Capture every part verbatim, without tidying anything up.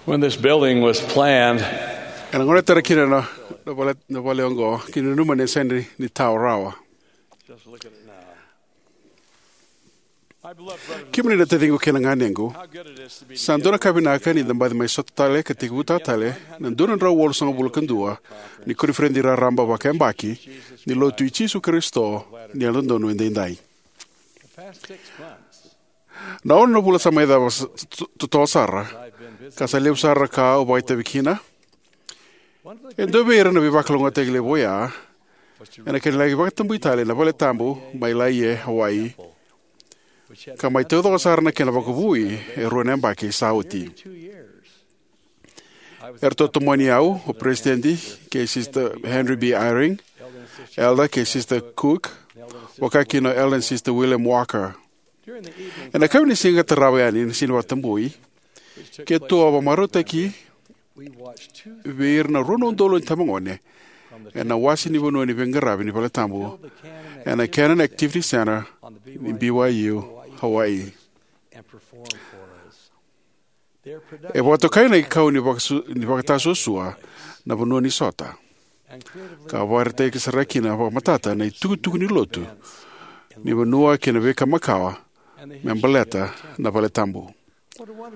When this building was planned, ena gauna e tara kina na, na vale, na vale oqo, kina nanuma ni sega ni tao rawa. Kemuni na taciqu kei na ganequ, sa dua na ka vinaka ni da baci mai sota tale ka tekivutaka tale na dua na drau walusagavulu ka dua ni koniferedi raraba vakayabaki ni Lotu i Jisu Karisito ni Yalododonu Edaidai. Na ono na vula sa mai cava s-, t-, totolo sara, ka sa levu sara na ka au vakaitavi kina. E dua vei ira na veivakalougatataki levu oya ena kena laki vakatabui tale na vale tabu mai Laie, Hawaii, ka mai taucoko sara na kena vakavoui e rua na yabaki sa oti. Eratou tomani au o Peresitedi kei Sister Henry B. Eyring, Elder kei Sister Cook, vakakina o Elder and Sister William Walker. Ena yakavi ni siga tarava yani na siga ni vakatabui, keitou a vakamarautaki vei ira na rua na udolu na itabagone ena wase ni vanua ni veiqaravi ni vale tabu ena Cannon Activity Center ni B Y U, Hawaii. E vakatokai na ikau ni vakasu-, ni vakatasuasua na vanua ni sota, ka vakaraitaki sara kina vakamatata na itukutuku ni lotu ni vanua kei na veika makawa me baleta na vale tabu.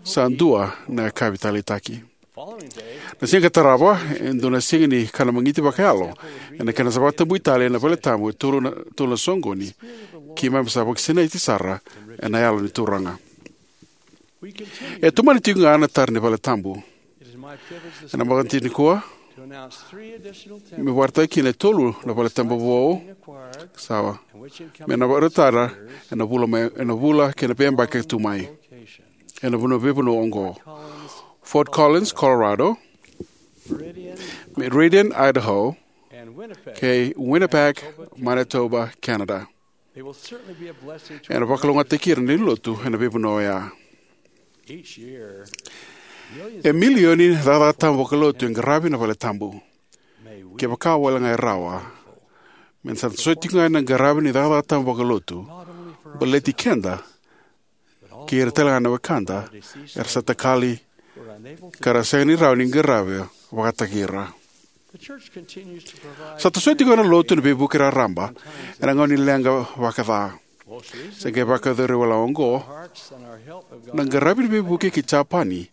Sa dua na yakavi taleitaki. Na siga ka tarava, e dua na siga ni kana magiti vakayalo ena kena sa vakatabui tale na vale tabu e tolu na, tolu na soqoni, keimami sa vakasinaiti sara ena Yalo ni Turaga. E tomani tiko ga na tara ni vale tabu. Ena mataka nikua, me vakaraitaki kina e tolu na vale tabu vou, sawa, me na vakarautaka ena vula mai, ena vula kei na veiyabaki ka tu mai. Ena vanua, veivanua oqo: Fort Collins, Colorado; Meridian, Idaho; kei Winnipeg, Manitoba, Canada. Ena vakalougatataki ira na lewe ni lotu ena veivanua oya. E milioni na cakacaka tabu vakalotu e qaravi na vale tabu. Kevaka wale ga e rawa, me da sa toso tiko ga ena qaravi ni cakacaka tabu vakalotu, baleti keda kei ira tale ga na wekada era sa takali ka ra sega ni rawa ni qaravi vakataki ira. Sa tosoya tiko na Lotu na veivuke raraba ena gauna ni leqa vakaca. Sa qai vakayacori wale oqo na qaravi ni veivuke ki Japani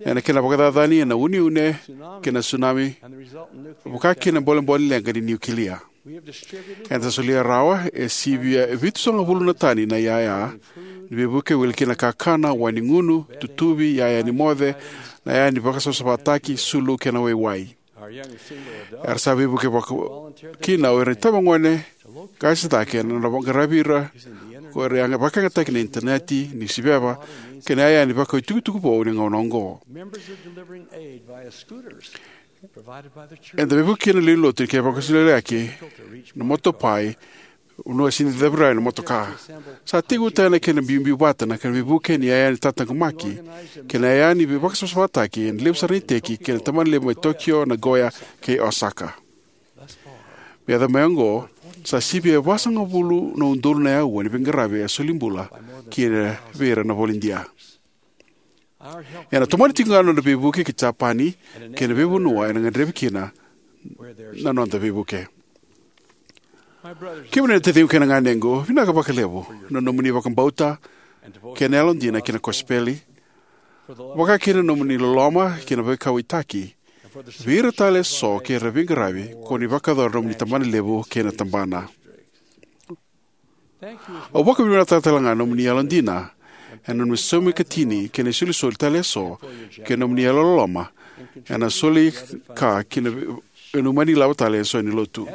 ena kena vakacacani ena uneune kei na tsunami, vakakina na bolebole ni leqa ni niukilia. Eda sa solia rawa e sivia e vitusagavulu na tani na iyaya ni veivuke, wili kina na kakana, wai ni gunu, tutuvi, iyaya ni moce, na iyaya ni vakasavasavataki, sulu kei na waiwai. Era sa veivuke vaka kina o ira na itabagone qase cake na nodra qaravi ira ko ira e vakayagataki ena initaneti, niusiveva, kei na iyaya ni vakau itukutuku vou ni gauna oqo. Eda veivuke kina na lewe ni lotu ni kena vakasolisoliyaki na motopai, vanua e sega ni cavi rawa na motoka. Sa tekivutaki na kena biubiu vata na kena veivuke ni iyaya ni tataqomaki kei na iyaya ni veivakasavasavataki ena levu sara na iteki kei na tabana levu mai Tokyo, Nagoya, kei Osaka. Me yacova mai oqo, sa sivia e vasagavulu na udolu na aua ni veiqaravi e solibula kina vei ira na volodia. Ena tomani tiko ga na noda veivuke ki Japani kei na veivanua ena gadrevi kina na noda veivuke. Kemuni na taciqu kei na ganequ, vinaka vakalevu na nomuni vakabauta kei na yalodina ki na kosipeli, vakakina na nomuni loloma kei na veikauwaitaki vei ira tale eso kei ira na veiqaravi ko ni vakayacora na nomuni tabana levu kei na tabana. Au vakavinavinakataka tale ga na nomuni yalodina ena nomuni saumi ikatini kei na isolisoli tale eso kei na nomuni yalololoma ena soli ka ki na, ena umani ilavo tale eso ni lotu.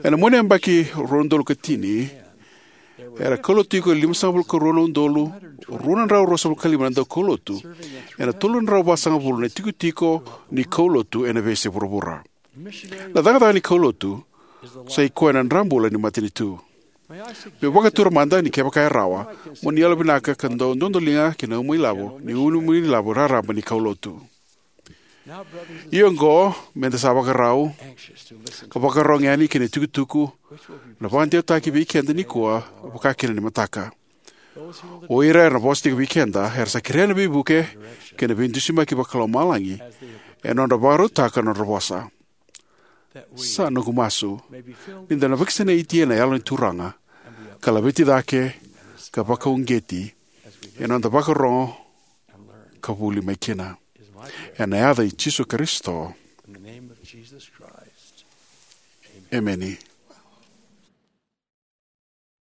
Ena mua ni yabaki rua na udolu ka tini, era kaulotu tiko e limasagavulu ka rua na udolu rua na drau ruasagavulu ka lima na daukaulotu ena tolu na drau vasagavulu na itikotiko ni kaulotu ena veiyasai vuravura. Na cakacaka ni kaulotu sa i koya na drabula ni matanitu. Meu vakatura mada ni kevaka e rawa, mo ni yalovinaka ka dau dodoliga ki na uma ilavo ni, uma ilavo raraba ni kaulotu. Ia oqo, me da sa vakarau ka vakarogo yani ki na itukutuku na vakadewataki vei keda nikua, vakakina ni mataka. O ira era na vosa tiko vei keda era sa kerea na veivuke kei na veidusimaki vakalomalagi ena nodra vakarautaka na nodra vosa. Sa noqu masu ni da na vakasinaiti ena Yalo ni Turaga ka laveti cake ka vakauqeti ena noda vakarorogo ka vuli mai kina. Ena yaca i Jisu Karisito, emeni.